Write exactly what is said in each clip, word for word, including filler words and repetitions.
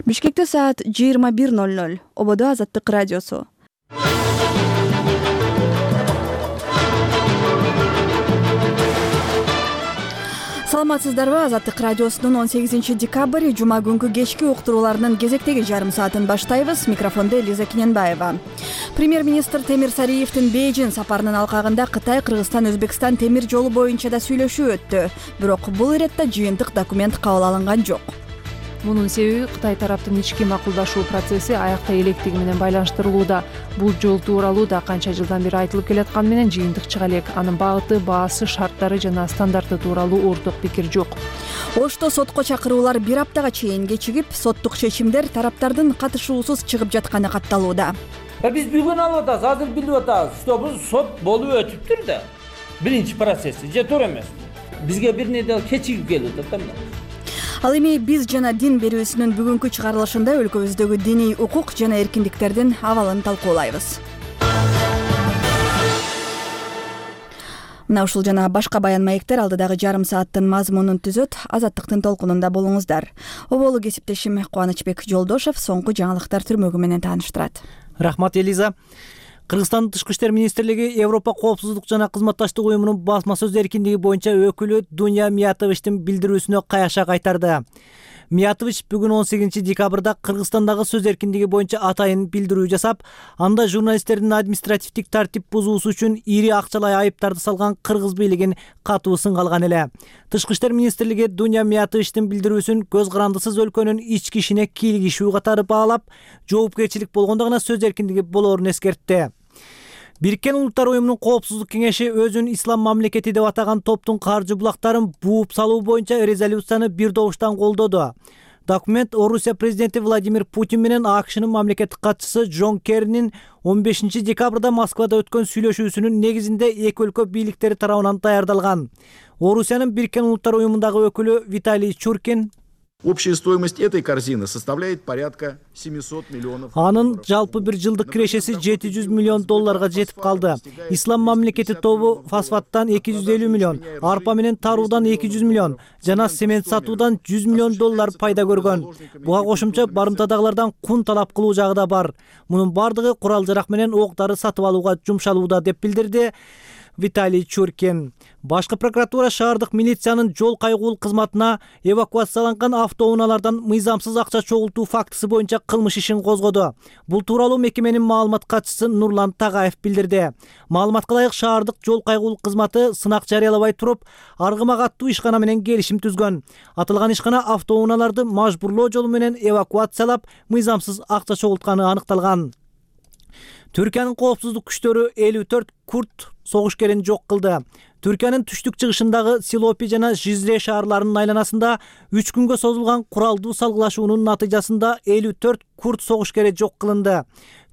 Бишкекте саат жыйырма бир ноль ноль. Ободо Азаттык радиосу. Саламатсыздарбы? Азаттык радиосунун он сегизинчи декабрь жума күнкү кечки уктурууларынын кезектеги жарым саатын баштайбыз. Микрофонда Элиза Кененбаева. Премьер-министр Темир Сариевдин Бейжин сапарынын алкагында Кытай, Кыргызстан, Өзбекстан темир жолу боюнча да сүйлөшүү өттү. Бирок бул иретте жыйынтык документ кабыл алынган жок. Мунун себеби Кытай тараптын ички макулдашуу процесси аякта электиги менен байланыштырылууда. Бул жол тууралуу да канча жылдан бери айтылып келатканы менен жыйынтык чыга элек. Анын багыты, баасы, шарттары жана стандарты тууралуу орток пикир жок. Ошто сотко чакыруулар бир аптага чейин кечигип, соттук чечимдер тараптардын катышуусуз чыгып жатканы катталууда. Биз бүгүн алып атабыз, азыр билип атабыз, что бул сот болуп өтүптүр да. Биринчи процесси же туура эмес. Бизге бир неде кечигип келип атат да. Ал эми биз жана дин берүүсүнүн бүгүнкү чыгарылышында өлкөбүздөгү диний укук жана эркиндиктердин абалын талкуулайбыз. Мына ушул жана башка баян маектер алдыдагы жарым сааттын мазмунун түзөт. Азаттыктын толкунунда болуңуздар. Оболу кесиптешим Кубанычбек Жолдошев соңку жаңылыктар түрмөгү менен тааныштырат. Рахмат, Элиза. Кыргызстандын Тышкы иштер министрлиги Европа коопсуздук жана кызматташтык уюмунун басма сөз эркиндиги боюнча өкүлү Дуня Миятовичтин билдирүүсүнө каяша кайтарды. Миятович бүгүн он сегизинчи декабрда Кыргызстандагы сөз эркиндиги боюнча атайын билдирүү жасап, анда журналисттердин административдик тартип бузуусу үчүн ири акчалай айыптарды салган кыргыз бийлигин катуу сынга алган эле. Тышкы иштер министрлиги Дуня Миятовичтин билдирүүсүн көз карандысыз өлкөнүн ички ишине кийлигишүү катары баалап, жоопкерчилик болгондо гана сөз эркиндиги болоорун эскертти. Бириккен Улуттар уюмунун коопсуздук кеңеши өзүн ислам мамлекети деп атаган топтун каржы булактарын бууп салуу боюнча резолюцияны бир добуштан колдоду. Документ Орусия президенти Владимир Путин менен АКШнын мамлекеттик катчысы Джон Керринин он бешинчи декабрда Москвада өткөн сүйлөшүүсүнүн негизинде эки өлкө бийликтери тарабынан даярдалган. Орусиянын Бириккен Улуттар уюмундагы өкүлү Виталий Чуркин общая стоимость этой корзины составляет порядка семисот миллионов. Анын жалпы бир жылдык кирешеси жети жүз миллион долларга жетип калды. Ислам мамлекети тобу фосфаттан эки жүз элүү миллион, арпа менен таруудан эки жүз миллион, жана цемент сатуудан жүз миллион доллар пайда көргөн. Буга кошумча барымтадагылардан кун талап кылуу жагы да бар. Мунун бардыгы курал-жарак менен ок-дары сатып алууга жумшалууда деп билдирди Виталий Чуркин. Башкы прокуратура шаардык милициянын жол кайгуул кызматына эвакуацияланган автоунаалардан мыйзамсыз акча чогултуу фактысы боюнча кылмыш ишин козгоду. Бул тууралуу мекеменин маалымат катчысы Нурлан Тагаев билдирди. Маалыматка ылайык шаардык жол кайгуул кызматы сынак жарыялабай туруп, Аргымак аттуу ишкана менен келишим түзгөн. Атылган ишкана автоунааларды мажбурлоо жолу менен эвакуациялап, мыйзамсыз акча чогултканы аныкталган. Түркиянын коопсуздук күчтөрү элүү төрт курд согушкерин жок кылды. Түркиянын түштүк-чыгышындагы Силопи жана Жизре шаарларынын айланасында үч күнгө созулган куралдуу салгылашуунун натыйжасында элүү төрт курд согушкери жок кылынды.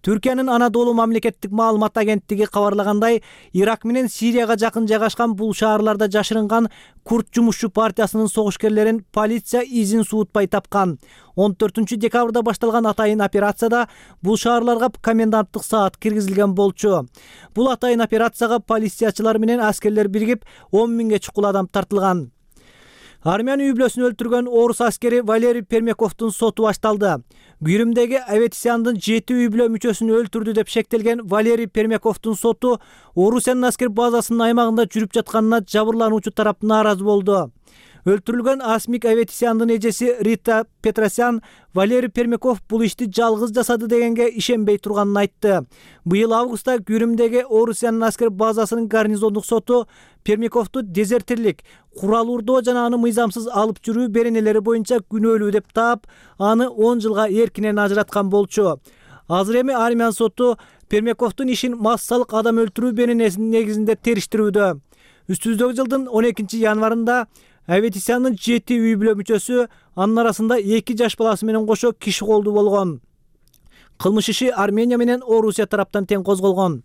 Түркиянын Анадолу мамлекеттик маалымат агенттиги кабарлагандай, Ирак менен Сирияга жакын жайгашкан бул шаарларда жашырынган курд жумушчу партиясынын согушкерлерин полиция изин суутпай тапкан. он төртүнчү декабрда башталган атайын операцияда бул шаарларга коменданттык саат киргизилген болчу. Бул атайын операцияга полициячылар менен аскерлер биригип, он миңге чукул адам тартылган. Армян үй-бүлөсүн өлтүргөн орус аскери Валерий Пермяковдун соту башталды. Гүрүмдөгү Аветисяндын жети үй-бүлө мүчөсүн өлтүрдү деп шектелген Валерий Пермяковдун соту Орусиянын аскер базасынын аймагында жүрүп жатканына жабырлануучу тарап нааразы болду. Өлтүрүлгөн Асмик Аветисяндын эжеси Рита Петросян Валерий Пермяков бул ишти жалгыз жасады дегенге ишенбей турганын айтты. Быйыл августта Гүрүмдөгү Орусиянын аскер базасынын гарнизондук соту Пермяковду дезертирлик, курал урдоо жана аны мыйзамсыз алып жүрүү беренелери боюнча күнөөлүү деп таап, аны он жылга эркинен ажыраткан болчу. Азыр эми Армян соту Пермяковдун ишин массалык адам өлтүрүү беренесинин негизинде териштирүүдө. Үстүбүздөгү жылдын он экинчи январында Аветисяндын жети үй-бүлө мүчөсү, анын арасында эки жаш баласы менен кошо киши колдуу болгон. Кылмыш иши Армения менен Орусия тараптан тең козголгон.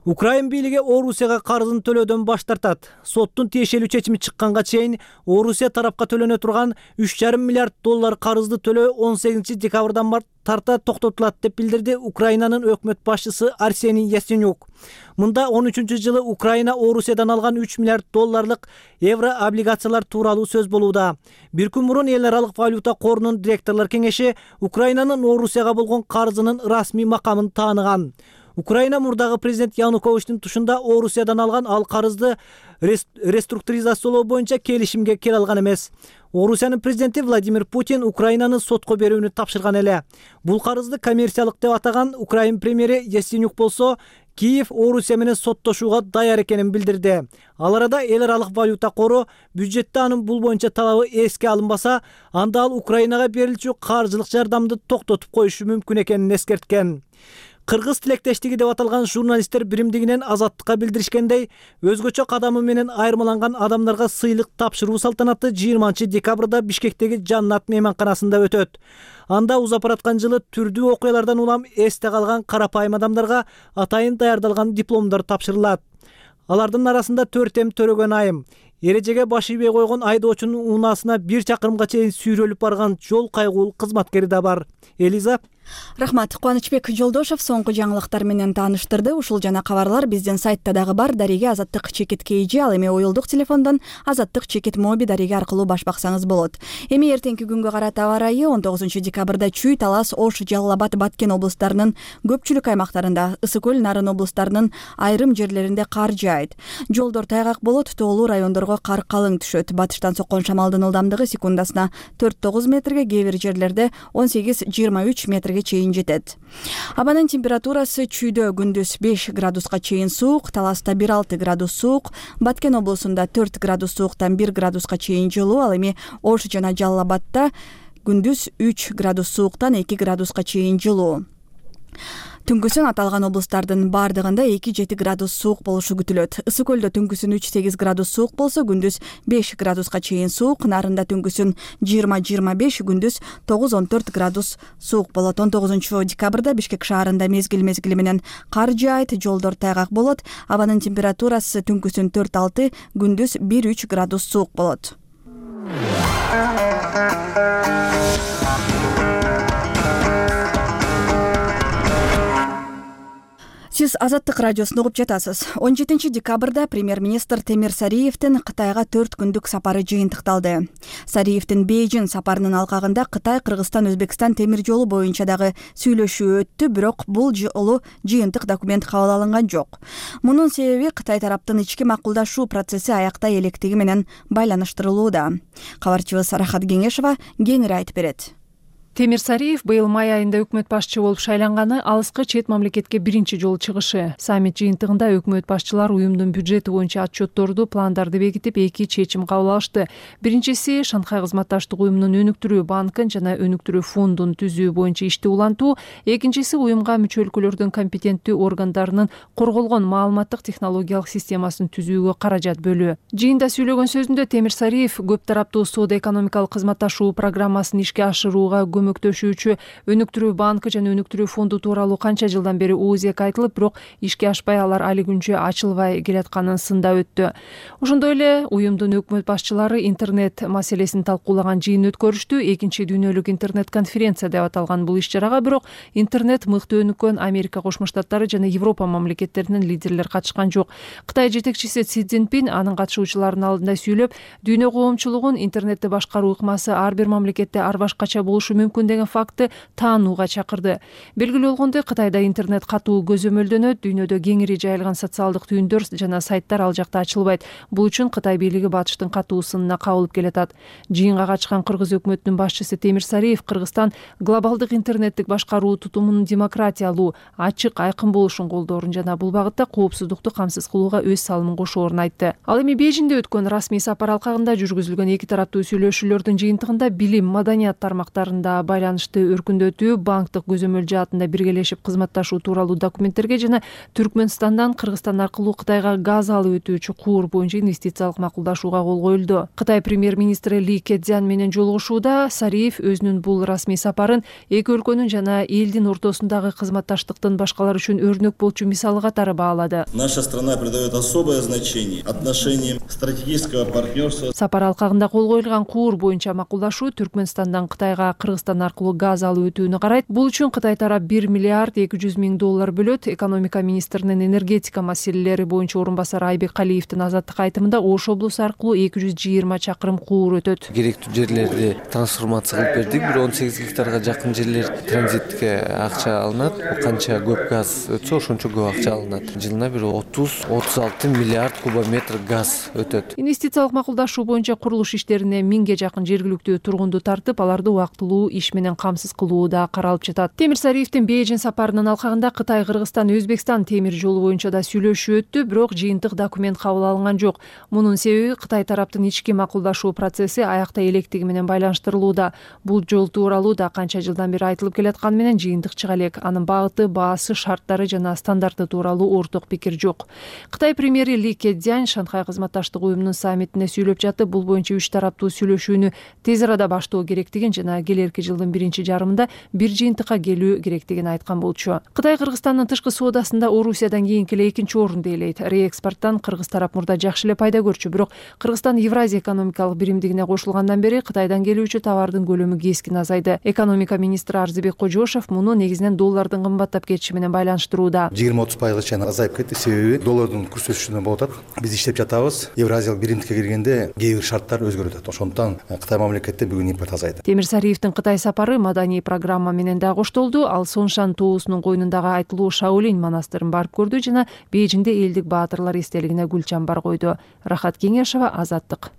Украин бийлиги Орусияга карызын төлөөдөн баш тартат. Соттун тиешелүү чечими чыкканга чейин Орусия тарапка төлөнө турган үч жарым миллиард доллар карызды төлөө он сегизинчи декабрдан тарта токтотулат деп билдирди Украинанын өкмөт башчысы Арсений Яценюк. Мында он үчүнчү жылы Украина Орусиядан алган үч миллиард долларлык евро облигациялар тууралуу сөз болууда. Бир күн мурун эл аралык валюта корунун директорлор кеңеши Украинанын Орусияга болгон карызынын расмий макамын тааныган. Украина мурдагы президент Януковичтин тушунда Орусиядан алган ал карызды реструктуризациялоо боюнча келишимге келе алган эмес. Орусиянын президенти Владимир Путин Украинаны сотко берүүнү тапшырган эле. Бул карызды коммерциялык деп атаган Украин премьери Яценюк болсо, Киев Орусия менен соттошууга даяр экенин билдирди. Ал арада эл аралык валюта кору бюджетте анын бул боюнча талабы эске алынбаса, анда ал Украинага берилчү каржылык жардамды токтотуп коюшу мүмкүн экенин эскерткен. Кыргыз тилектештиги деп аталган журналисттер биримдигинен Азаттыкка билдиришкендей, өзгөчө кадамы менен айырмаланган адамдарга сыйлык тапшыруу салтанаты жыйырманчы декабрда Бишкектеги Жаннат мейманканасында өтөт. Анда узап бараткан жылы түрдүү окуялардан улам эсте калган карапайым адамдарга атайын даярдалган дипломдор тапшырылат. Алардын арасында төрт эм төрөгөн айым, эрежеге баш ийбей койгон айдоочунун унаасына бир чакырымга чейин сүйрөлүп барган жол кайгуул кызматкери да бар. Элиза. Рахмат. Кубанычбек Жолдошов соңку жаңылыктар менен тааныштырды. Ушул жана кабарлар биздин сайтта дагы бар. Дареге Азаттык чекит кейжи, ал эми уюлдук телефондон Азаттык чекит моби дареге аркылуу баш баксаңыз болот. Эми эртеңки күнгө карата аба ырайы он тогузунчу декабрда Чүй, Талас, Ош, Жалал Абад, Баткен облустарынын көпчүлүк аймактарында, Ысык көл, Нарын облустарынын айрым жерлеринде кар жаайт. Жолдор тайгак болот, тоолуу райондорго кар калың түшөт. Батыштан соккон шамалдын ылдамдыгы секундасына төрт тогуз метрге, кээ бир жерлерде он сегиз жыйырма үч метрге чейин жетет. Абанын температурасы Чүйдө күндүз беш градуска чейин суук, Таласта бир алты градус суук, Баткен облусунда төрт градус сууктан бир градуска чейин жылуу, ал эми Ош жана Жалал Абадта күндүз үч градус сууктан эки градуска чейин жылуу. Түнкүсүн аталган облустардын бардыгында эки жети градус суук болушу күтүлөт. Ысык көлдө түнкүсүн үч сегиз градус суук болсо, күндүз беш градуска чейин суук, Нарында түнкүсүн жыйырма жыйырма беш, күндүз тогуз он төрт градус суук болот. он тогузунчу декабрда Бишкек шаарында мезгил мезгили менен кар жаайт, жолдор тайгак болот. Абанын температурасы түнкүсүн төрт алты, күндүз бир үч градус суук болот. Сиз Азаттык радиосун угуп жатасыз. он жетинчи декабрда премьер-министр Темир Сариевдин Кытайга төрт күндүк сапары жыйынтыкталды. Сариевдин Бейжин сапарынын алкагында Кытай, Кыргызстан, Өзбекстан темир жолу боюнча дагы сүйлөшүү өттү, бирок бул жолу жыйынтык документ кабыл алынган жок. Мунун себеби Кытай тараптын ички макулдашуу процесси аяктай электиги менен байланыштырылууда. Кабарчыбыз Рахат Кеңешова кеңири айтып берет. Темир Сариев быйыл май айында өкмөт башчы болуп шайланганы алыскы чет мамлекетке биринчи жолу чыгышы. Саммит жыйынтыгында өкмөт башчылар уюмдун бюджети боюнча отчетторду, пландарды бекитип, эки чечим кабыл алышты. Биринчиси Шанхай кызматташтык уюмунун өнүктүрүү банкын жана өнүктүрүү фондун түзүү боюнча ишти улантуу, экинчиси уюмга мүчө өлкөлөрдүн компетенттүү органдарынын корголгон маалыматтык технологиялык системасын түзүүгө каражат бөлүү. Жыйында сүйлөгөн сөзүндө Темир Сариев көп тараптуу соода-экономикалык кызматташуу программасын ишке ашырууга көмөктөшүүчү өнүктүрүү банкы жана өнүктүрүү фонду тууралуу канча жылдан бери оозек айтылып, бирок ишке ашпай, алар али күнчө ачылбай келатканын сындап өттү. Ошондой эле уюмдун өкмөт башчылары интернет маселесин талкуулаган жыйын өткөрүштү. Экинчи дүйнөлүк интернет конференция деп аталган бул иш-чарага бирок интернет мыкты өнүккөн Америка Кошмо Штаттары жана Европа мамлекеттеринин лидерлери катышкан жок. Кытай жетекчиси Си Цзиньпин анын катышуучуларынын алдында сүйлөп, дүйнө коомчулугун интернетти башкаруу ыкмасы ар бир мамлекетте ар башкача болушу мүмкүн деген факты таанууга чакырды. Белгилүү болгондой, Кытайда интернет катуу көзөмөлдөнөт, дүйнөдө кеңири жайылган социалдык түйүндөр жана сайттар ал жакта ачылбайт. Бул үчүн Кытай бийлиги батыштын катуу сынына кабылып келатат. Жыйынга катышкан Кыргыз өкмөтүнүн башчысы Темир Сариев Кыргызстан глобалдык интернеттик башкаруу тутумунун демократиялуу, ачык, айкын болушун колдоорун жана бул багытта коопсуздукту камсыз кылууга өз салымын кошоорун айтты. Ал эми Бейжиңде өткөн расмий сапар алкагында жүргүзүлгөн эки тараптуу сүйлөшүүлөрдүн жыйынтыгында билим, маданият тармактарында байланышты өркүндөтүү, банктык көзөмөл жаатында биргелешип кызматташуу тууралуу документтерге жана Түркмөнстандан Кыргызстан аркылуу Кытайга газ алып өтүүчү куур боюнча инвестициялык макулдашууга кол коюлду. Кытай премьер-министри Ли Кэцзян менен жолугушууда Сариев өзүнүн бул расмий сапарын эки өлкөнүн жана элдин ортосундагы кызматташтыктын башкалар үчүн өрнөк болчу мисалы катары баалады. Наша страна придает особое значение отношениям стратегического партнерства. Сапар алкагында кол коюлган куур боюнча макулдашуу Түркмөнстандан Кытайга Кыргызстан аркылуу газ алып өтүүнү карайт. Бул үчүн Кытай тарап бир миллиард эки жүз миң доллар бөлөт. Экономика министринин энергетика маселелери боюнча орун басары Айбек Калиевдин азаттык айтымында Ош облусу аркылуу эки жүз жыйырма чакырым куур өтөт. Керектүү жерлерди трансформация кылып бердик. Бир он сегиз гектарга жакын жерлер транзитке акча алынат. Канча көп газ өтсө, ошончо көп акча алынат. Жылына бир отуз отуз алты миллиард кубометр газ өтөт. Инвестициялык макулдашуу боюнча курулуш иштерине миңге жакын жергиликтүү тургунду тартып, аларды убактылуу иш менен камсыз кылуу да каралып жатат. Темирсариевдин Бейжин сапарынын алкагында Кытай, Кыргызстан, Өзбекстан темир жолу боюнча да сүйлөшүү өттү, бирок жыйынтык документ кабыл алынган жок. Мунун себеби Кытай тараптын ички макулдашуу процесси аякта электиги менен байланыштырылууда. Бул жол тууралуу да канча жылдан бери айтылып келатканы менен жыйынтык чыга элек. Анын багыты, баасы, шарттары жана стандарты тууралуу орток пикир жок. Кытай премьери Ли Кэцзян Шанхай кызматташтык уюмунун саммитине сүйлөп жатып, бул боюнча үч тараптуу сүйлөшүүнү тез арада баштоо керектигин жана келерки жылдын биринчи жарымында бир жыйынтыкка келүү керектигин айткан болчу. Кытай Кыргызстандын тышкы соодасында Орусиядан кийинки эле экинчи орунду ээлейт. Реэкспорттан Кыргыз тарап мурда жакшы эле пайда көрчү, бирок Кыргызстан Евразия экономикалык биримдигине кошулгандан бери Кытайдан келүүчү товардын көлөмү кескин азайды. Экономика министри Арзыбек Кожошов муну негизинен доллардын кымбаттап кетиши менен байланыштырууда. жыйырма отуз пайызга чейин азайып кетти. Себеби доллардын курс өсүшүнөн болуп атат. Биз иштеп жатабыз. Евразиялык биримдикке киргенде кээ бир шарттар өзгөрүп атат. Ошондуктан Кытай мамлекетте бүгүн импорт азайды. Темирсариевдин Кытай сапары маданий программа менен да коштолду. Ал Сонсhan тоосунун койнундагы айтылуу Шаолинь монастырын барып көрдү жана Бейжинде элдик баатырлар эстелигине гүл чамбар койду. Рахат Кеңешова, Азаттык.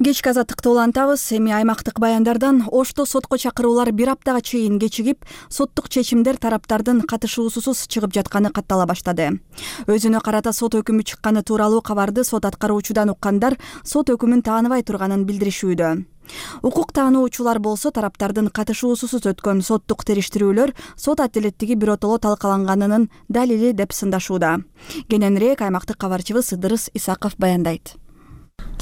Кечки азаттыкты улантабыз. Эми аймактык баяндардан Ошто сотко чакыруулар бир аптага чейин кечигип, соттук чечимдер тараптардын катышуусусуз чыгып жатканы каттала баштады. Өзүнө карата сот өкүмү чыкканы тууралуу кабарды сот аткаруучудан уккандар сот өкүмүн тааныбай турганын билдиришүүдө. Укук таануучулар болсо тараптардын катышуусусуз өткөн соттук териштирүүлөр сот адилеттиги биротоло талкаланганынын далили деп сындашууда. Кененирээк аймактык кабарчыбыз Ыдырыс Исаков баяндайт.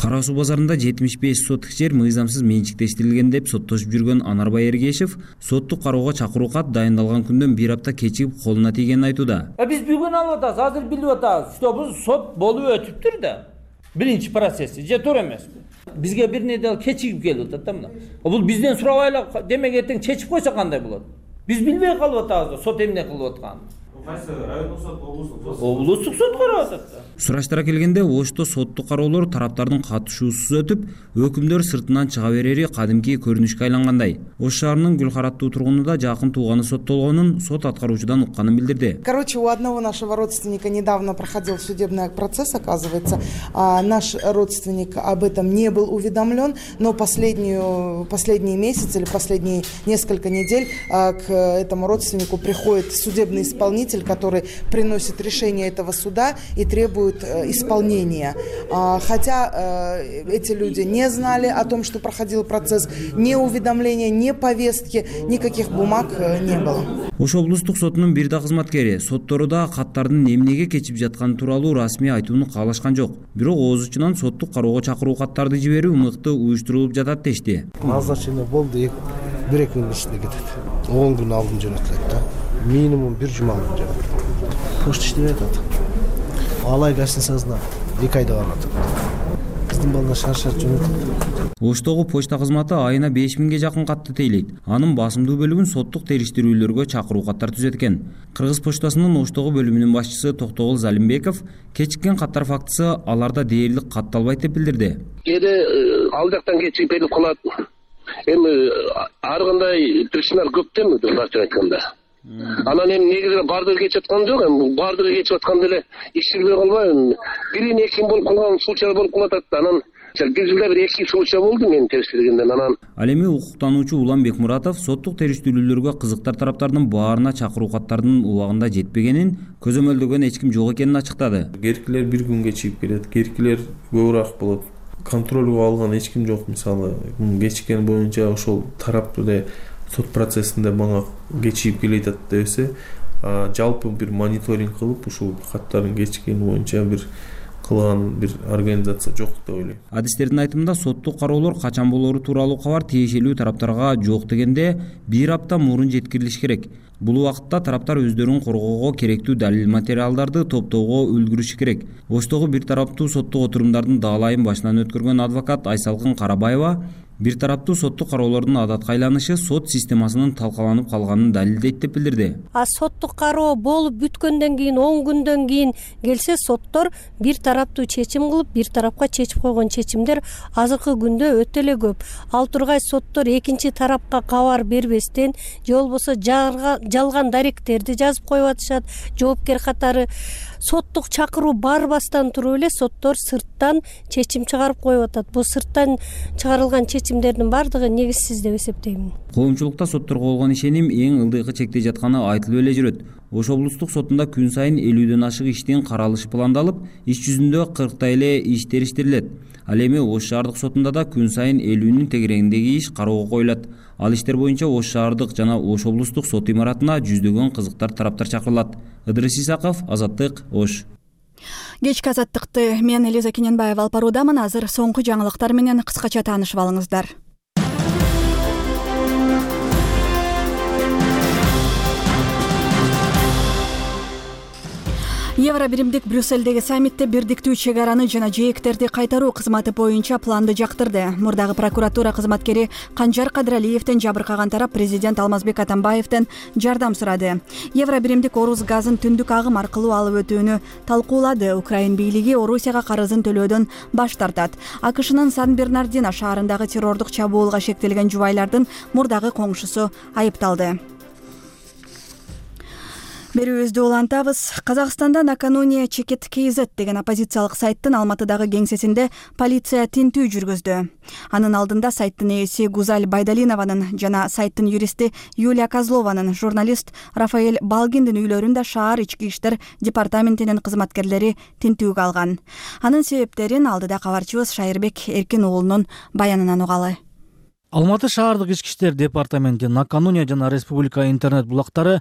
Кара суу базарында жетимиш беш сотук жер мыйзамсыз менчиктештирилген деп соттошуп жүргөн Анарбай Эргешев соттук кароого чакыруу кат дайындалган күндөн бир апта кечигип колуна тийгенин айтууда. Биз бүгүн алып атабыз, азыр билип атабыз, что бул сот болуп өтүптүр да. Биринчи процесси же туура эмеспи? Бизге бир неделе кечигип келип атат да мына. Бул бизден сурабайлы, демек эртең чечип койсо кандай болот? Биз билбей калып атабыз, сот эмне кылып атканын. Кайсы райондук сот, облустук сот? Облустук сот карап атат. Сураштара келгенде Ошто соттук кароолор тараптардын катышуусуз өтүп, өкүмдөр сыртынан чыга берери кадимки көрүнүшкө айлангандай. Ош шаарынын Гүлхараттуу тургуну да жакын тууганы соттолгонун сот аткаруучудан укканын билдирди. Короче, у одного нашего родственника недавно проходил судебный процесс, оказывается. А наш родственник об этом не был уведомлен, но последнюю, последние месяцы или последние несколько недель к этому родственнику приходит судебный исполнитель, который приносит решение этого суда и требует исполнения. Хотя эти люди не знали о том, что проходил процесс, ни уведомления, ни повестки, никаких бумаг не было. Ош облустук сотунун бир да кызматкери сотторуда каттардын эмнеге кечип жатканы тууралуу расмий айтууну каалашкан жок. Бирок ооз учунан соттук кароого чакыруу каттарды жиберүү мыкты уюштурулуп жатат дешти. Назначение болду, бир эки күн ичинде кетет. он күн алдын жөнөтүлөт да. Минимум бир жума алдын жөнөтүлөт. Почта иштебей атат. Алай гостиницасына эки айда барып атат. Биздин балдар шар-шар жөнөтөт. Оштогу почта кызматы айына беш миңге жакын катты тейлейт. Анын басымдуу бөлүгүн соттук териштирүүлөргө чакыруу каттар түзөт экен. Кыргыз почтасынын Оштогу бөлүмүнүн башчысы Токтогул Залимбеков кечиккен каттар фактысы аларда дээрлик катталбайт деп билдирди. Кээде ал жактан кечигип келип калат. Эми ар кандай причиналар көп да, башкача айтканда. Анан эми негизи бардыгы кечип аткан жок, эми бардыгы кечип атканда эле иш жүрбөй калбайбы? Бирин экин болуп калган случайлар болуп калат. Анан бир жылда бир эки случай болду менин териштиргенден. Анан ал эми укуктануучу Улан Бекмуратов соттук териштирүүлөргө кызыктар тараптардын баарына чакыруу каттардын убагында жетпегенин, көзөмөлдөгөн эч ким жок экенин ачыктады. Керкилер бир күнгө чыгып келет, керкилер көбүрөөк болот. Контролго алган эч ким жок. Мисалы, кечиккен боюнча ошол тарап эле сот процессинде мага кечигип келе жатат десе, жалпы бир мониторинг кылып ушул каттардын кечиккени боюнча бир кылган бир организация жок деп ойлойм. Адистердин айтымында соттук кароолор качан болору тууралуу кабар тиешелүү тараптарга жок дегенде бир апта мурун жеткирилиш керек. Бул убакытта тараптар өздөрүн коргоого керектүү далил материалдарды топтоого үлгүрүшү керек. Оштогу бир тараптуу соттук отурумдардын даалайын башынан өткөргөн адвокат Айсалкын Карабаева бир тараптуу соттук кароолордун адатка айланышы сот системасынын талкаланып калганын далилдейт деп билдирди. А соттук кароо болуп бүткөндөн кийин он күндөн кийин келсе соттор бир тараптуу чечим кылып, бир тарапка чечип койгон чечимдер азыркы күндө өтө эле көп. Ал тургай соттор экинчи тарапка кабар бербестен же болбосо жалган даректерди жазып коюп атышат. Жоопкер катары соттук чакыруу барбастан туруп эле соттор сырттан чечим чыгарып коюп атат. Бул сырттан чыгарылган чечимдердин бардыгы негизсиз деп эсептейм. Коомчулукта сотторго болгон ишеним эң ылдыйкы чекте жатканы айтылып эле жүрөт. Ош облустук сотунда күн сайын элүүдөн ашык иштин каралышы пландалып, иш жүзүндө кырктай эле иш териштирилет. Ал эми Ош шаардык сотунда да күн сайын элүүнүн тегерегиндеги иш кароого коюлат. Ал иштер боюнча Ош шаардык жана Ош облустук сот имаратына жүздөгөн кызыктар тараптар чакырылат. Ыдырыс Исаков, Азаттык, Ош. Кечки азаттыкты мен Лиза Кененбаева алып баруудамын. Азыр соңку жаңылыктар менен кыскача таанышып алыңыздар. Евро биримдик Брюссельдеги саммитте бирдиктүү чек араны жана жээктерди кайтаруу кызматы боюнча планды жактырды. Мурдагы прокуратура кызматкери Канжар Кадыралиевден жабыркаган тарап президент Алмазбек Атамбаевден жардам сурады. Евро биримдик Орус газын түндүк агым аркылуу алып өтүүнү талкуулады. Украин бийлиги Орусияга карызын төлөөдөн баш тартат. АКШнын Сан-Бернардино шаарындагы террордук чабуулга шектелген жубайлардын мурдагы коңшусу айыпталды. Берүүбүздү улантабыз. Казакстанда накануне Чекет kz деген оппозициялык сайттын Алматыдагы кеңсесинде полиция тинтүү жүргүздү. Анын алдында сайттын ээси Гузаль Байдалинованын жана сайттын юристи Юлия Козлованын, журналист Рафаэль Балгиндин үйлөрүндө шаар ички иштер департаментинин кызматкерлери тинтүүгө алган. Анын себептерин алдыда кабарчыбыз Шайырбек Эркин уулунун баянынан угалы. Алматы шаардык ички иштер департаменти накануне жана Республика интернет булактары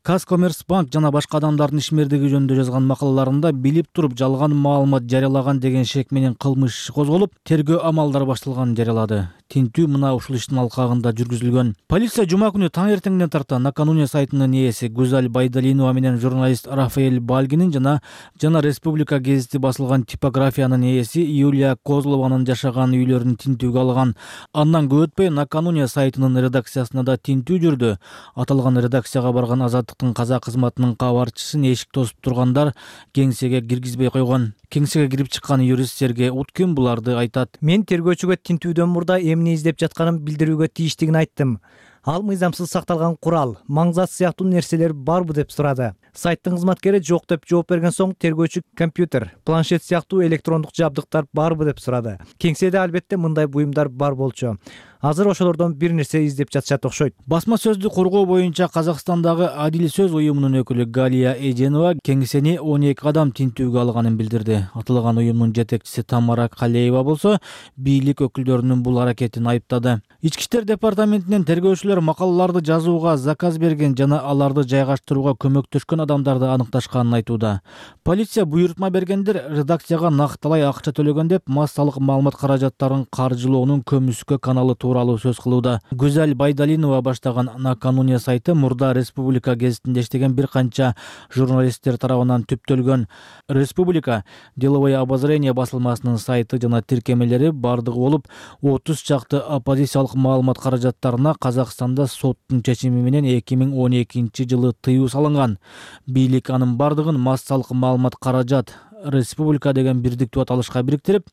Казкоммерцбанк жана башка адамдардын ишмердиги жөнүндө жазган макалаларында билип туруп жалган маалымат жарыялаган деген шек менен кылмыш иши козголуп, тергөө амалдары башталганын жарыялады. Тинтүү мына ушул иштин алкагында жүргүзүлгөн. Полиция жума күнү таң эртеңден тарта накануне сайтынын ээси Гузаль Байдалинова менен журналист Рафаэль Балгинин жана жана Республика гезити басылган типографиянын ээси Юлия Козлованын жашаган үйлөрүн тинтүүгө алган. Андан көп өтпөй накануне сайтынын редакциясына да тинтүү жүрдү. Аталган редакцияга барган Азаттыктын казак кызматынын кабарчысын эшик тосуп тургандар кеңсеге киргизбей койгон. Кеңсеге кирип чыккан юрист Сергей Уткин буларды айтат. Мен тергөөчүгө тинтүүдөн мурда эмне издеп жатканын билдирүүгө тийиштигин айттым. Ал мыйзамсыз сакталган курал, маңзат сыяктуу нерселер барбы деп сурады. Сайттын кызматкери жок деп жооп берген соң тергөөчү компьютер, планшет сыяктуу электрондук жабдыктар барбы деп сурады. Кеңседе албетте мындай буюмдар бар болчу. Азыр ошолордон бир нерсе издеп жатышат окшойт. Басма сөздү коргоо боюнча Казакстандагы Адил сөз уюмунун өкүлү Галия Эженова кеңсени он эки адам тинтүүгө алганын билдирди. Аталган уюмдун жетекчиси Тамара Калеева болсо бийлик өкүлдөрүнүн бул аракетин айыптады. Ички иштер департаментинен тергөөчүлөр макалаларды жазууга заказ берген жана аларды жайгаштырууга көмөктөшкөн адамдарды аныкташканын айтууда. Полиция буйрутма бергендер редакцияга накталай акча төлөгөн деп массалык маалымат каражаттарын каржылоонун көмүскө каналы тууралуу сөз кылууда. Гузаль Байдалинова баштаган накануне сайты мурда Республика гезитинде иштеген бир канча журналисттер тарабынан түптөлгөн. Республика деловое обозрение басылмасынын сайты жана тиркемелери бардыгы болуп отуз чакты оппозициялык маалымат каражаттарына Казакстанда соттун чечими менен эки миң он экинчи жылы тыюу салынган. Бийлик анын бардыгын массалык маалымат каражат Республика деген бирдиктүү аталышка бириктирип,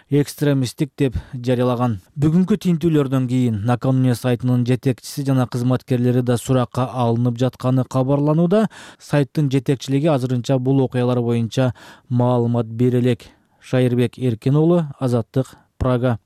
экстремисттик деп жарыялаган. Бүгүнкү тинтүүлөрдөн кийин накануне сайтынын жетекчиси жана кызматкерлери да суракка алынып жатканы кабарланууда. Сайттын жетекчилиги азырынча бул окуялар боюнча маалымат бере элек. Шайырбек Эркин уулу, Азаттык, Прага.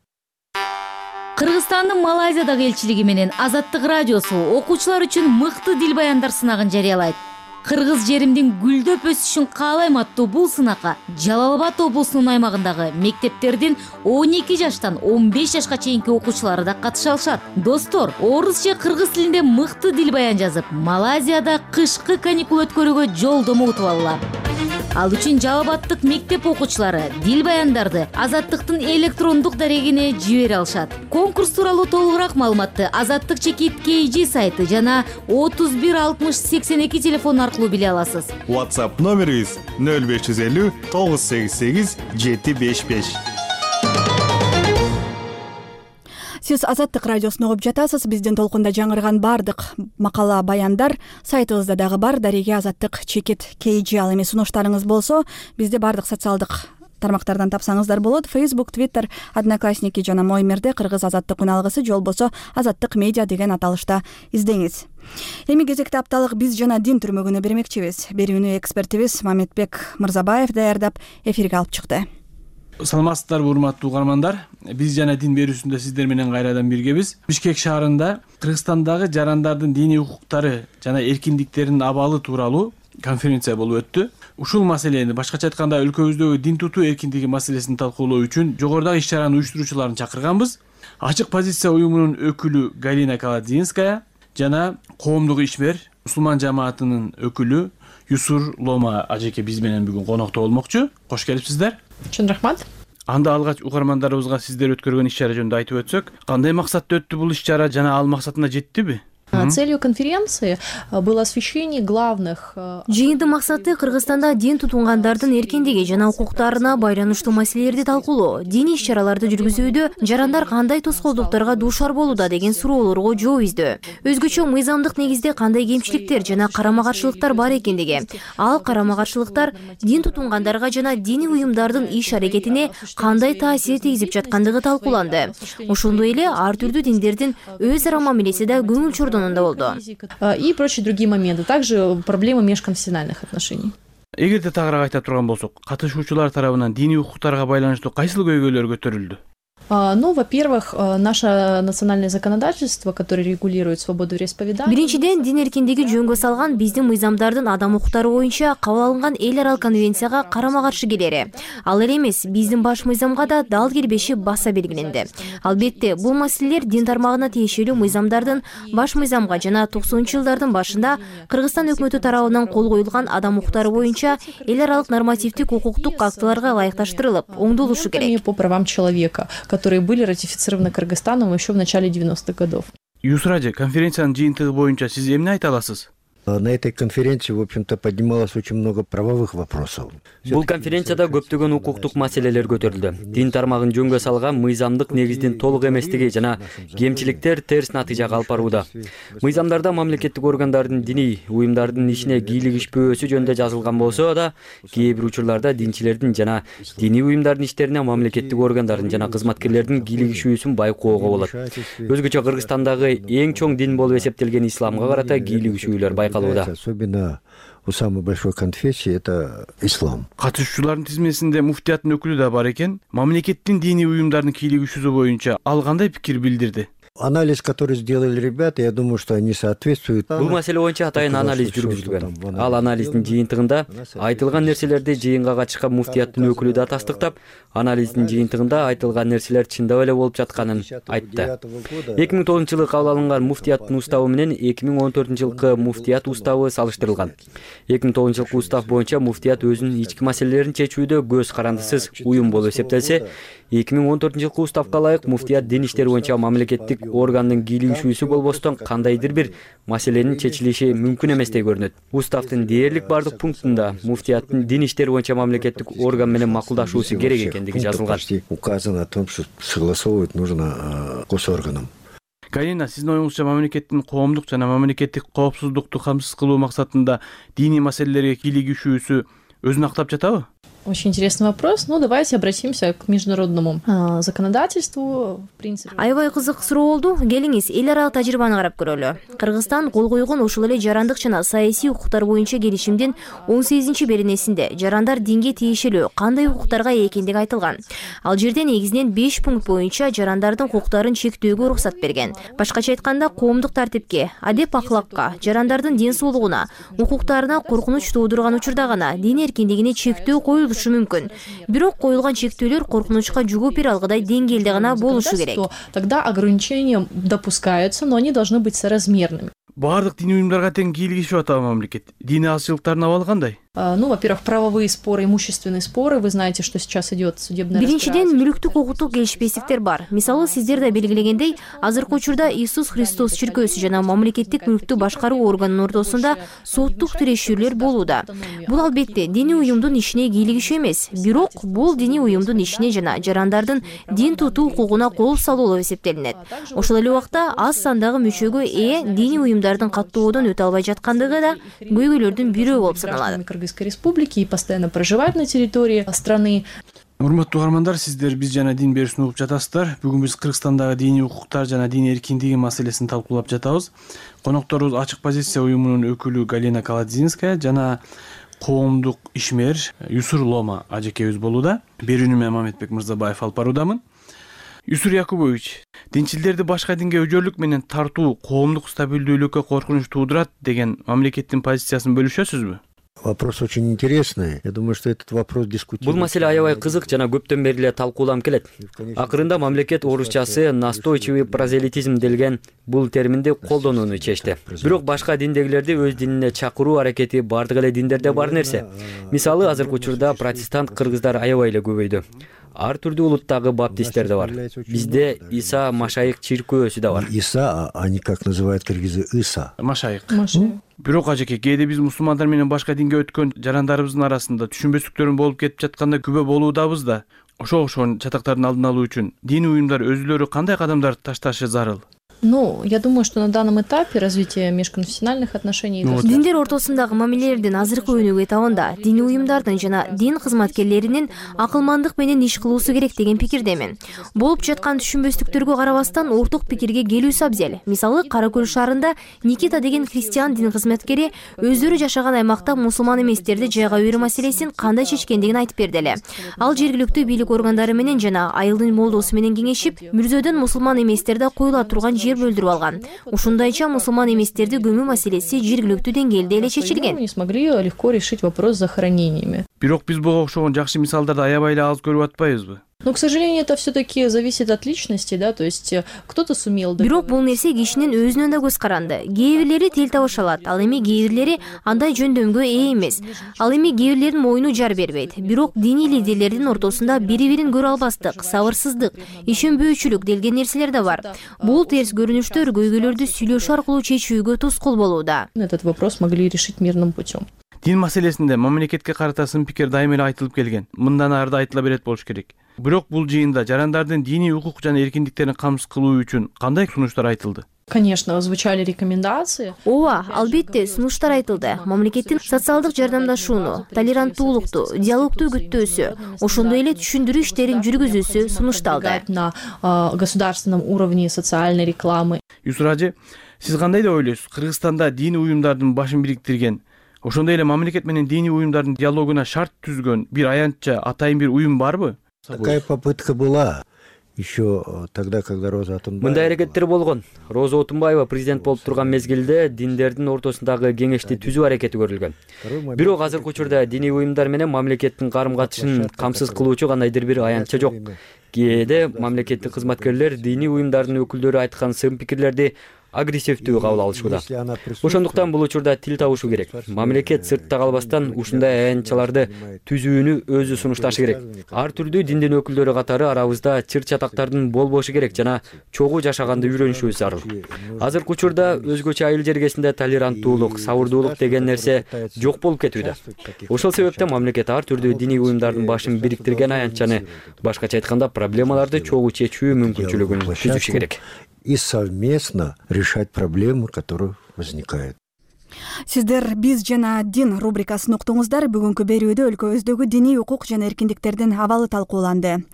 Кыргызстандын Малайзиядагы элчилиги менен Азаттык радиосу окуучулар үчүн мыкты дил баяндар сынагын жарыялайт. Кыргыз жеримдин гүлдөп өсүшүн каалайм аттуу бул сынакка Жалал Абад облусунун аймагындагы мектептердин он эки жаштан он беш жашка чейинки окуучулары да катыша алышат. Достор, орус же кыргыз тилинде мыкты дил баян жазып, Малайзияда кышкы каникул өткөрүүгө жолдомо утуп алгыла. Ал үчүн Жалал Абадтык мектеп окуучулары дил баяндарды Азаттыктын электрондук дарегине жибере алышат. Конкурс тууралуу толугураак маалыматты Азаттык чекит кей джи сайты жана отуз бир алтымыш сексен эки телефон аркылуу биле аласыз. WhatsApp номерибиз нөл беш жүз элүү тогуз сегиз сегиз жети беш беш. Сиз Азаттык радиосун угуп жатасыз. Биздин толкунда жаңырган бардык макала баяндар сайтыбызда дагы бар. Дареге Азаттык чекит кей джи. Ал эми сунуштарыңыз болсо бизди бардык социалдык тармактардан тапсаңыздар болот. Facebook, Twitter, Одноклассники жана Моймерде Кыргыз Азаттык үналгысы же болбосо Азаттык медиа деген аталышта издеңиз. Эми кезекте апталык биз жана дин түрмөгүнө бермекчибиз. Берүүнү экспертибиз Мамедбек Мырзабаев даярдап эфирге алып чыкты. Саламатсыздарбы урматтуу угармандар. Биз жана дин берүүсүндө сиздер менен кайрадан биргебиз. Бишкек шаарында Кыргызстандагы жарандардын диний укуктары жана эркиндиктеринин абалы тууралуу конференция болуп өттү. Ушул маселени, башкача айтканда өлкөбүздөгү дин тутуу эркиндиги маселесин талкуулоо үчүн жогорудагы иш-чаранын уюштуруучуларын чакырганбыз. Ачык позиция уюмунун өкүлү Галина Каладзинская жана коомдук ишмер мусулман жамаатынын өкүлү Юсур Лома ажеке биз менен бүгүн конокто болмокчу. Кош келипсиздер. Чын рахмат. Анда алгач угармандарыбызга сиздер өткөргөн иш-чара жөнүндө айтып өтсөк, кандай максатта өттү бул иш-чара жана ал максатына жеттиби? Целью конференции было освещение главных. Жыйындын максаты Кыргызстанда дин тутунгандардын эркиндиги жана укуктарына байланыштуу маселелерди талкуулоо. Диний иш-чараларды жүргүзүүдө жарандар кандай тоскоолдуктарга дуушар болууда деген суроолорго жооп издөө. Өзгөчө мыйзамдык негизде кандай кемчиликтер жана карама-каршылыктар бар экендиги, ал карама-каршылыктар дин тутунгандарга жана диний уюмдардын иш-аракетине кандай таасир тийгизип жаткандыгы талкууланды. Ошондой эле ар түрдүү диндердин өз ара мамилеси да көңүл чордон и прочие другие моменты, также проблемы межконфессиональных отношений. Эгерде тагыраак айта турган болсок, катышуучулар тарабынан диний укуктарга байланыштуу кайсыл көйгөйлөр көтөрүлдү? Ну, во-первых, наше национальное законодательство, которое регулирует свободу вероисповедания. Биринчиден, дин эркиндиги жөнгө салган биздин мыйзамдардын адам укуктары боюнча кабыл алынган эл аралык конвенцияга карама-каршы келери. Ал эле эмес, биздин баш мыйзамга да дал келбеши баса белгиленди. Албетте, бул маселелер дин тармагына тиешелүү мыйзамдардын баш мыйзамга жана токсонунчу жылдардын башында Кыргызстан өкмөтү тарабынан кол коюлган адам укуктары боюнча эл аралык нормативдик укуктук актыларга ылайыкташтырылып, оңдолушу керек. По правам человека, которые были ратифицированы Кыргызстаном еще в начале девяностых годов. Юсраджи, конференциянын жыйынтыгы боюнча сиз эмне айта аласыз? На этой конференции, в общем-то, поднималось очень много правовых вопросов. Бул конференцияда көптөгөн укуктук маселелер көтөрүлдү. Дин тармагын жөнгө салган мыйзамдык негиздин толук эместиги жана кемчиликтер терс натыйжага алып барууда. Мыйзамдарда мамлекеттик органдардын диний уюмдардын ишине кийлигишпөөсү жөнүндө жазылган болсо да, кээ бир учурларда динчилердин жана диний уюмдардын иштерине мамлекеттик органдардын жана кызматкерлердин кийлигишүүсүн байкоого болот. Өзгөчө Кыргызстандагы эң чоң дин болуп эсептелген исламга карата кийлигишүүлөр байкалат. Особенно у самой большой конфессии это ислам. Катышуучулардын тизмесинде муфтияттын өкүлү да бар экен. Мамлекеттин диний уюмдардын кийлигишүүсү боюнча ал кандай пикир билдирди? Анализ, который сделали ребята, я думаю, что они соответствуют. Бул маселе боюнча атайын анализ жүргүзүлгөн. Ал анализдин жыйынтыгында айтылган нерселерди жыйынга катышкан муфтияттын өкүлү да тастыктап, анализдин жыйынтыгында айтылган нерселер чындап эле болуп жатканын айтты. эки миң тогузунчу жылы кабыл алынган муфтияттын уставы менен эки миң он төртүнчү жылкы муфтият уставы салыштырылган. эки миң тогузунчу жылкы устав боюнча муфтият өзүнүн ички маселелерин чечүүдө көз карандысыз уюм болуп эсептелсе, эки миң он төртүнчү жылкы уставга ылайык муфтият дин иштери боюнча мамлекеттик органдын кийлигишүүсү болбостон кандайдыр бир маселенин чечилиши мүмкүн эместей көрүнөт. Уставдын дээрлик бардык пунктунда муфтияттын дин иштери боюнча мамлекеттик орган менен макулдашуусу керек экендиги жазылган. Указано о том, что согласовывать нужно госорганам. Галина, сиздин оюңузча мамлекеттин коомдук жана мамлекеттик коопсуздукту камсыз кылуу максатында диний маселелерге кийлигишүүсү өзүн актап жатабы? Очень интересный вопрос. Ну, давайте обратимся к международному э, законодательству. В принципе. Аябай кызык суроо болду. Келиңиз, эл аралык тажрыйбаны карап көрөлү. Кыргызстан кол койгон ушул эле жарандык жана саясий укуктар боюнча келишимдин он сегизинчи беренесинде жарандар динге тиешелүү кандай укуктарга ээ экендиги айтылган. Ал жерде негизинен беш пункт боюнча жарандардын укуктарын чектөөгө уруксат берген. Башкача айтканда, коомдук тартипке, адеп акылакка, жарандардын ден соолугуна, укуктарына коркунуч туудурган учурда гана дин эркиндигине чектөө коюлушу мүмкүн. Бирок коюлган чектөөлөр коркунучка жооп бере алгыдай деңгээлде гана болушу керек. Тогда ограничения допускаются, но они должны быть соразмерными. Бардык диний уюмдарга тең кийлигишип атабы мамлекет? Диний азчылыктардын абалы кандай? Ну, во-первых, правовые споры, имущественные споры. Вы знаете, что сейчас идет судебное разбирательство. Биринчиден, мүлүктүк укуктук келишпестиктер бар. Мисалы, сиздер да белгилегендей, азыркы учурда Иисус Христос чиркөөсү жана мамлекеттик мүлктү башкаруу органынын ортосунда соттук тирешүүлөр болууда. Бул албетте диний уюмдун ишине кийлигишүү эмес, бирок бул диний уюмдун ишине жана жарандардын дин тутуу укугуна кол салуу болуп эсептелинет. Ошол эле убакта аз сандагы мүчөгө ээ диний уюмдардын каттоодон өтө албай жаткандыгы да көйгөйлөрдүн бирөө болуп саналат. Республики и постоянно проживают на территории страны. Урматтуу угармандар, сиздер биз жана дин берүүсүн угуп жатасыздар. Бүгүн биз Кыргызстандагы диний укуктар жана дин эркиндиги маселесин талкуулап жатабыз. Конокторубуз Ачык позиция уюмунун өкүлү Галина Каладзинская жана коомдук ишмер Юсур Лома ажекебиз болууда. Берүүнү мен Мамедбек Мырзабаев алып баруудамын. Юсур Якубович, динчилдерди башка динге өжөлүк менен тартуу коомдук стабилдүүлүккө коркунуч туудурат деген мамлекеттин позициясын бөлүшөсүзбү? Вопрос очень интересный. Я думаю, что этот вопрос дискутируется. Бул маселе аябай кызык жана көптөн бери эле талкууланып келет. Акырында мамлекет орусчасы настойчивый прозелитизм делген бул терминди колдонууну чечти. Бирок башка диндегилерди өз динине чакыруу аракети бардык эле диндерде бар нерсе. Мисалы, азыркы учурда протестант кыргыздар аябай эле көбөйдү. Ар түрдүү улуттагы баптисттер да бар. Бизде Иса Машайык чиркөөсү да бар. Иса, а они как называют кыргызы Иса. Машайык. Бирок ажеке, кээде биз мусулмандар менен башка динге өткөн жарандарыбыздын арасында түшүнбөстүктөрүн болуп кетип жатканда күбө болуудабыз да. Ошо окшогон чатактардын алдын алуу үчүн диний уюмдар өзүлөрү кандай кадамдар ташташы зарыл? Ну, я думаю, что на данном этапе развития межконфессиональных отношений... Диндер ортосундагы мамилелердин азыркы өнүгүү этабында диний уюмдардын жана дин кызматкерлеринин акылмандык менен иш кылуусу керек деген пикирдемин. Болуп жаткан түшүнбөстүктөргө карабастан орток пикирге келүүсү абзел. Мисалы, Кара Көл шаарында Никита деген христиан дин кызматкери өздөрү жашаган аймакта мусулман эместерди жайга берүү маселесин кандай чечкендигин айтып берди эле. Ал жергиликтүү бийлик органдары менен жана айылдын молдосу менен кеңешип, мүрзөдөн мусулман эместерди коюла турган жер бөлдүрүп алган. Ушундайча мусулман эместерди көмүү маселеси жергиликтүү деңгээлде эле чечилген. Не смогли легко решить вопрос с захоронениями. Бирок биз буга окшогон жакшы мисалдарды аябай эле аз көрүп атпайбызбы? Но, к сожалению, это все-таки зависит от личности, да, то есть кто-то сумел... Бирок бул нерсе кишинин өзүнөн да көз каранды. Кээ бирлери тил табыша алат, ал эми кээ бирлери андай жөндөмгө ээ эмес. Ал эми кээ бирлердин моюну жар бербейт. Бирок диний лидерлердин ортосунда бири-бирин көрө албастык, сабырсыздык, ишенбөөчүлүк делген нерселер да бар. Бул терс көрүнүштөр көйгөйлөрдү сүйлөшүү аркылуу чечүүгө тоскоол болууда. Этот вопрос могли решить мирным путем. Дин маселесинде мамлекетке карата сын пикир дайыма эле айтылып келген. Мындан ары да айтыла берет болуш керек. Бирок бул жыйында жарандардын диний укук жана эркиндиктерин камсыз кылуу үчүн кандай сунуштар айтылды? Конечно, звучали рекомендации. Ооба, албетте сунуштар айтылды. Мамлекеттин социалдык жардамдашууну, толеранттуулукту, диалогту күттөөсү, ошондой эле түшүндүрүү иштерин жүргүзүүсү сунушталды. На государственном уровне социальной рекламы. Юсур ажы, сиз кандай деп ойлойсуз? Кыргызстанда диний уюмдардын башын бириктирген, ошондой эле мамлекет менен диний уюмдардын диалогуна шарт түзгөн бир аянтча атайын бир уюм барбы? Такая попытка была еще тогда, когда Роза Атунбаева... Мындай аракеттер болгон. Роза Атунбаева президент болуп турган мезгилде диндердин ортосундагы кеңешти түзүү аракети көрүлгөн. Бирок азыркы учурда диний уюмдар менен мамлекеттин карым-катышын камсыз кылуучу кандайдыр бир аянтча жок. Кээде мамлекеттик кызматкерлер диний уюмдардын өкүлдөрү айткан сын пикирлерди агрессивдүү кабыл алышууда. Ошондуктан бул учурда тил табышу керек. Мамлекет сыртта калбастан ушундай аянтчаларды түзүүнү өзү сунушташы керек. Ар түрдүү диндин өкүлдөрү катары арабызда чыр-чатактардын болбошу керек жана чогуу жашаганды үйрөнүшүбүз зарыл. Азыркы учурда өзгөчө айыл жергесинде толеранттуулук, сабырдуулук деген нерсе жок болуп кетүүдө. Ошол себептен мамлекет ар түрдүү диний уюмдардын башын бириктирген аянтчаны, башкача айтканда, проблемаларды чогуу чечүү мүмкүнчүлүгүн түзүшү керек. И совместно решать проблемы, которые возникают. Сиздер биз жана дин рубрикасын уктуңуздар. Бүгүнкү берүүдө өлкөбүздөгү диний укук жана эркиндиктердин абалы талкууланды.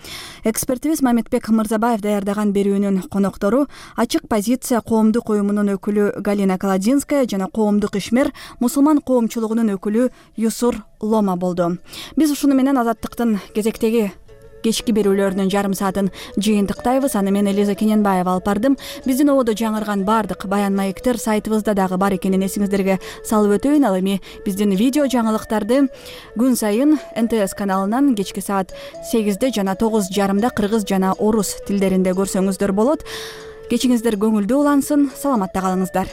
Экспертибиз Мамедбек Мырзабаев даярдаган берүүнүн коноктору Ачык позиция коомдук уюмунун өкүлү Галина Каладинская жана коомдук ишмер мусулман коомчулугунун өкүлү Юсур Лома болду. Биз ушуну менен Азаттыктын кезектеги кечки берүүлөрүнүн жарым саатын жыйынтыктайбыз. Аны мен Элиза Кененбаева алып бардым. Биздин ободо жаңырган бардык баян маектер сайтыбызда дагы бар экенин эсиңиздерге салып өтөйүн. Ал эми биздин видео жаңылыктарды күн сайын эн тэ эс каналынан кечки саат сегизде жана тогуз жарымда кыргыз жана орус тилдеринде көрсөңүздөр болот. Кечиңиздер көңүлдүү улансын. Саламатта калыңыздар.